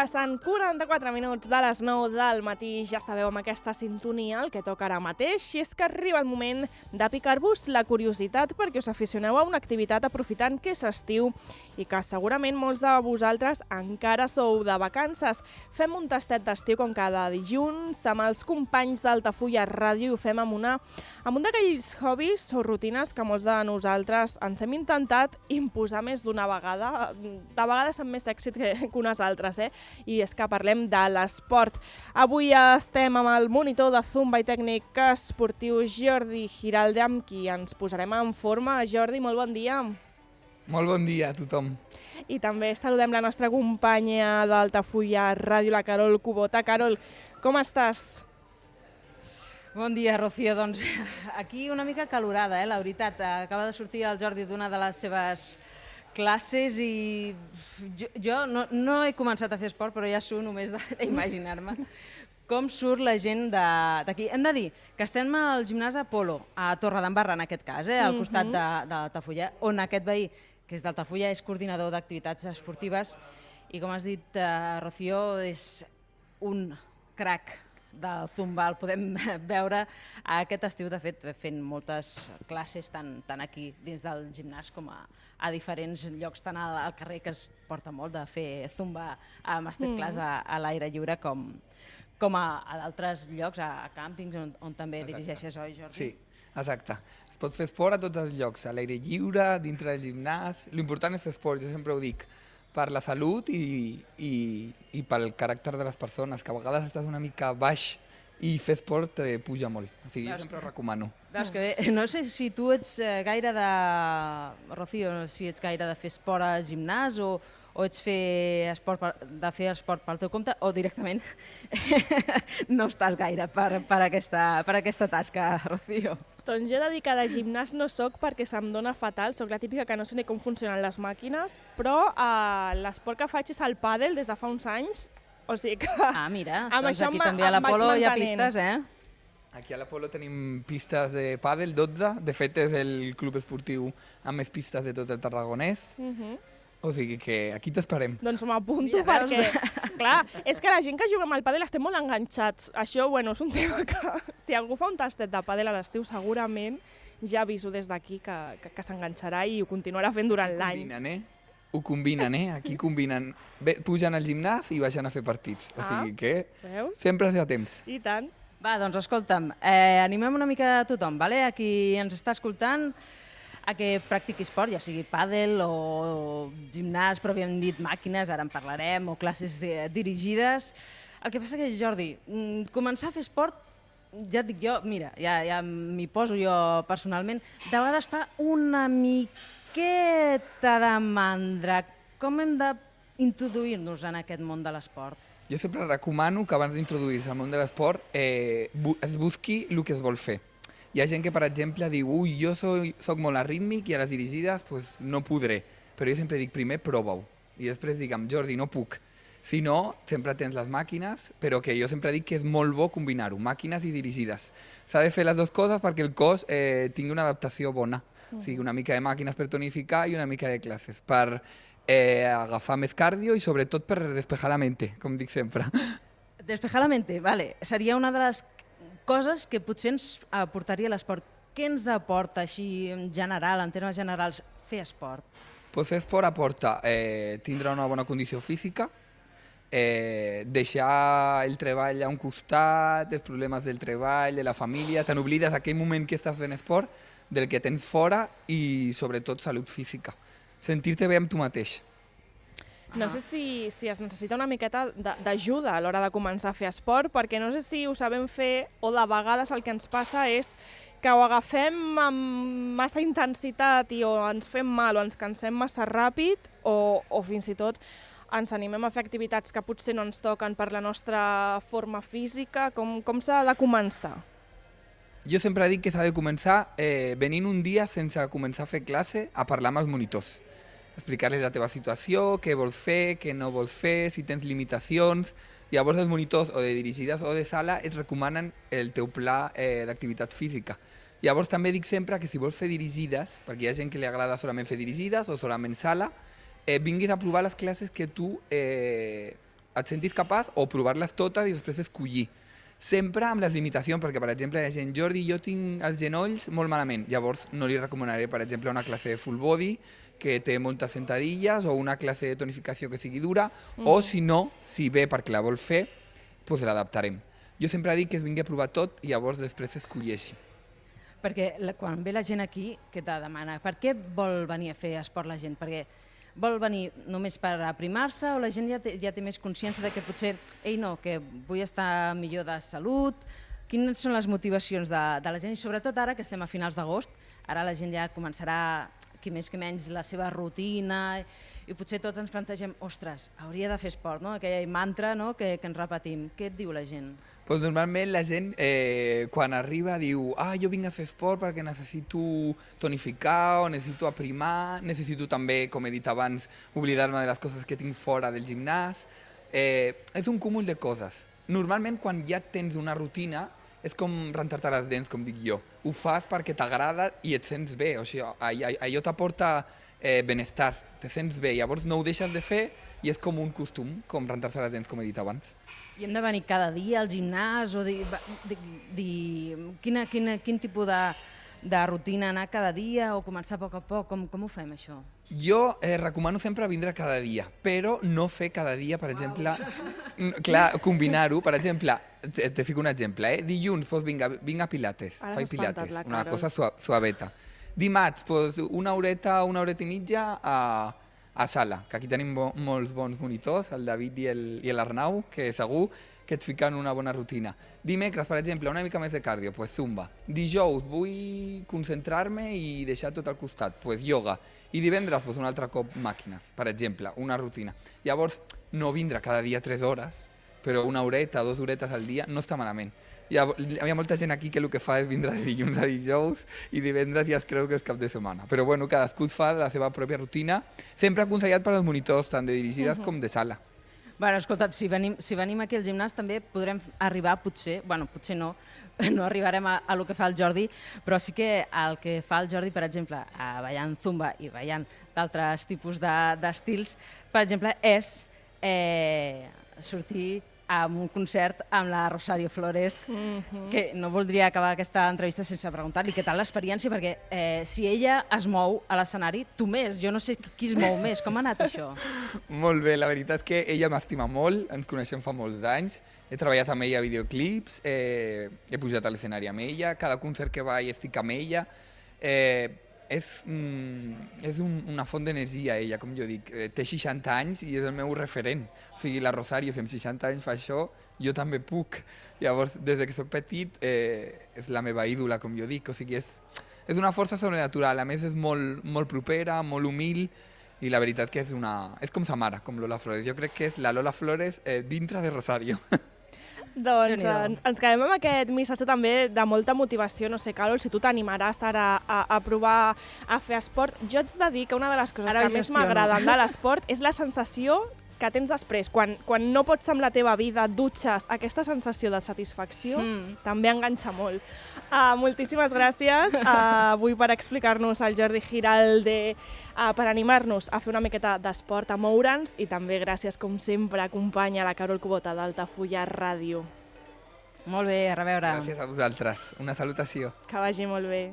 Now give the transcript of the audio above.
Passen 44 minuts de les 9 del matí, ja sabeu amb aquesta sintonia el que toca ara mateix, i és que arriba el moment de picar-vos la curiositat perquè us aficioneu a una activitat aprofitant que és estiu i que segurament molts de vosaltres encara sou de vacances. Fem un tastet d'estiu com cada dilluns amb els companys d'Altafulla Ràdio i ho fem amb un d'aquells hobbies o rutines que molts de nosaltres ens hem intentat imposar més d'una vegada, de vegades amb més èxit que unes altres, i és que parlem de l'esport. Avui estem amb el monitor de Zumba i tècnic esportiu Jordi Giralde, amb qui ens posarem en forma. Jordi, molt bon dia. Molt bon dia a tothom. I també saludem la nostra companya d'Altafulla Ràdio, la Carol Cubota. Carol, com estàs? Bon dia, Rocío. Doncs aquí una mica calorada, la veritat. Acaba de sortir el Jordi d'una de les seves classes i jo no he començat a fer esport, però ja suo només d'imaginar-me com surt la gent d'aquí. Hem de dir que estem al gimnàs Apolo, a Torredembarra en aquest cas, al costat d'Altafulla, on aquest veí, que és d'Altafulla, és coordinador d'activitats esportives i, com has dit, Rocío, és un crac del Zumba. El podem veure aquest estiu, de fet, fent moltes classes tant aquí dins del gimnàs com a diferents llocs, tant al carrer, que es porta molt de fer Zumba a masterclass a l'aire lliure, com a d'altres llocs, a càmpings, on també dirigeixes, oi, Jordi? Sí, exacte. Es pot fer esport a tots els llocs, a l'aire lliure, dintre del gimnàs. L'important és fer esport, jo sempre ho dic, per la salut i pel caràcter de les persones, que a vegades estàs una mica baix i fer esport te puja molt. O sigui, jo sempre ho recomano. Veus que bé. No sé si tu ets gaire de... Rocío, si ets gaire de fer esport al gimnàs o ets fer esport pel teu compte o directament no estàs gaire per aquesta tasca, Rocío. Doncs jo he de dir que de gimnàs no soc perquè se'm dona fatal, soc la típica que no sé ni com funcionen les màquines, però l'esport que faig és el pàdel des de fa uns anys, o sigui que... Ah, mira, doncs aquí també a l'Apolo hi ha pistes, Aquí a l'Apolo tenim pistes de pàdel, 12, de fet és el club esportiu amb més pistes de tot el Tarragonès. O sigui que aquí t'esperem. Doncs m'apunto perquè, clar, és que la gent que juga amb el pàdel estem molt enganxats. Això, bueno, és un tema que si algú fa un tastet de pàdel a l'estiu segurament ja aviso des d'aquí que s'enganxarà i ho continuarà fent durant l'any. Ho combinen, Aquí combinen. Pugen al gimnàs i baixen a fer partits. O sigui que sempre és a temps. I tant. Va, doncs escolta'm, animem una mica a tothom, vale? A qui ens està escoltant, a que practiqui esport, ja sigui pàdel o gimnàs, però havíem dit màquines, ara en parlarem, o classes dirigides. El que passa que, Jordi, començar a fer esport, ja et dic jo, mira, ja m'hi poso jo personalment, de vegades fa una miqueta de mandra. Com hem d'introduir-nos en aquest món de l'esport? Jo sempre recomano que abans d'introduir-se al món de l'esport es busqui el que es vol fer. Hi ha gent que, per exemple, diu jo soc molt arrítmic i a les dirigides no podré. Però jo sempre dic primer prova-ho. I després digue'm, Jordi, no puc. Si no, sempre tens les màquines, però que jo sempre dic que és molt bo combinar-ho, màquines i dirigides. S'ha de fer les dues coses perquè el cos tingui una adaptació bona. O sigui, una mica de màquines per tonificar i una mica de classes per agafar més cardio i sobretot per despejar la mente, com dic sempre. Despejar la mente, vale. Seria una de les coses que potser ens aportaria l'esport. Què ens aporta així en general, en termes generals, fer esport? Fer esport aporta tindre una bona condició física, deixar el treball a un costat, els problemes del treball, de la família, te n'oblides d'aquell moment que estàs fent esport, del que tens fora i sobretot salut física. Sentir-te bé amb tu mateix. No sé si es necessita una miqueta d'ajuda a l'hora de començar a fer esport, perquè no sé si ho sabem fer o de vegades el que ens passa és que ho agafem amb massa intensitat i o ens fem mal o ens cansem massa ràpid o fins i tot ens animem a fer activitats que potser no ens toquen per la nostra forma física. Com s'ha de començar? Jo sempre dic que s'ha de començar venint un dia sense començar a fer classe a parlar amb els monitors. Explicar-los la teva situació, què vols fer, què no vols fer, si tens limitacions. Llavors els monitors o de dirigides o de sala et recomanen el teu pla d'activitat física. Llavors també dic sempre que si vols fer dirigides, perquè hi ha gent que li agrada solament fer dirigides o solament sala, vinguis a provar les classes que tu et sentis capaç o provar-les totes i després escollir. Sempre amb les limitacions, perquè, per exemple, hi ha gent, Jordi, jo tinc els genolls molt malament, llavors no li recomanaré, per exemple, una classe de full body, que té moltes sentadilles, o una classe de tonificació que sigui dura, o si no, si ve perquè la vol fer, doncs l'adaptarem. Jo sempre dic que es vingui a provar tot i llavors després escolleixi. Perquè quan ve la gent aquí, què te demana? Per què vol venir a fer esport la gent? Perquè vol venir només per aprimar-se o la gent ja té més consciència de que potser, que vull estar millor de salut? Quines són les motivacions de la gent? I sobretot ara que estem a finals d'agost, ara la gent ja començarà, qui més que menys, la seva rutina i potser tots ens plantegem, ostres, hauria de fer esport, no? Aquell mantra, no? que ens repetim. Què et diu la gent? Pues normalment la gent quan arriba diu jo vinc a fer esport perquè necessito tonificar o necessito aprimar, necessito també, com he dit abans, oblidar-me de les coses que tinc fora del gimnàs. És un cúmul de coses. Normalment quan ja tens una rutina és com rentar-te les dents, com dic jo. Ho fas perquè t'agrada i et sents bé, o sigui, allò t'aporta benestar, te sents bé, llavors no ho deixes de fer i és com un costum, com rentar-se les dents, com he dit abans. I hem de venir cada dia al gimnàs o quin tipus de rutina anar cada dia o començar a poc a poc? Com ho fem, això? Jo recomano sempre vindre cada dia, però no fer cada dia, per exemple, clar, combinar-ho. Per exemple, te fico un exemple, dilluns vinc a pilates, faig pilates, una cosa suaveta. Dimarts, una horeta i mitja a sala, que aquí tenim molts bons monitors, el David i l'Arnau, que segur que et fiquen una bona rutina. Dimecres, per exemple, una mica més de cardio, zumba. Dijous vull concentrar-me i deixar tot al costat, ioga. I divendres, un altre cop màquines, per exemple, una rutina. Llavors, no vindre cada dia 3 hores, però una horeta, 2 horetes al dia, no està malament. Hi ha molta gent aquí que el que fa és vindre de dilluns a dijous i divendres ja es creu que és cap de setmana. Però bueno, cadascú fa la seva pròpia rutina, sempre aconsellat per als monitors, tant de dirigides com de sala. Bueno, escolta, si venim aquí al gimnàs també podrem arribar, potser no arribarem a lo que fa el Jordi, però sí que el que fa el Jordi, per exemple, ballant zumba i ballant d'altres tipus d'estils, per exemple, és sortir a un concert amb la Rosario Flores, que no voldria acabar aquesta entrevista sense preguntar-li què tal l'experiència, perquè si ella es mou a l'escenari, tu més, jo no sé qui es mou més, com ha anat això? Molt bé, la veritat que ella m'estima molt, ens coneixem fa molts anys, he treballat amb ella a videoclips, he pujat a l'escenari amb ella, cada concert que vaig estic amb ella, és una font d'energia, ella, com jo dic. Té 60 anys i és el meu referent. O sigui, la Rosario, si amb 60 anys fa això, jo també puc. Llavors, des que soc petit, és la meva ídola, com jo dic. O sigui, és una força sobrenatural. A més, és molt propera, molt humil, i la veritat que és com sa mare, com Lola Flores. Jo crec que és la Lola Flores dintre de Rosario. Doncs ens quedem amb aquest missatge també de molta motivació. No sé, Carol, si tu t'animaràs ara a provar a fer esport. Jo ets de dir que una de les coses que més m'agraden de l'esport és la sensació que tens després. Quan no pots amb la teva vida, dutxes, aquesta sensació de satisfacció també enganxa molt. Moltíssimes gràcies avui per explicar-nos el Jordi Giralde, per animar-nos a fer una miqueta d'esport, a moure'ns, i també gràcies, com sempre, acompanya la Carol Kubota d'Altafulla Ràdio. Molt bé, a reveure. Gràcies a vosaltres. Una salutació. Que vagi molt bé.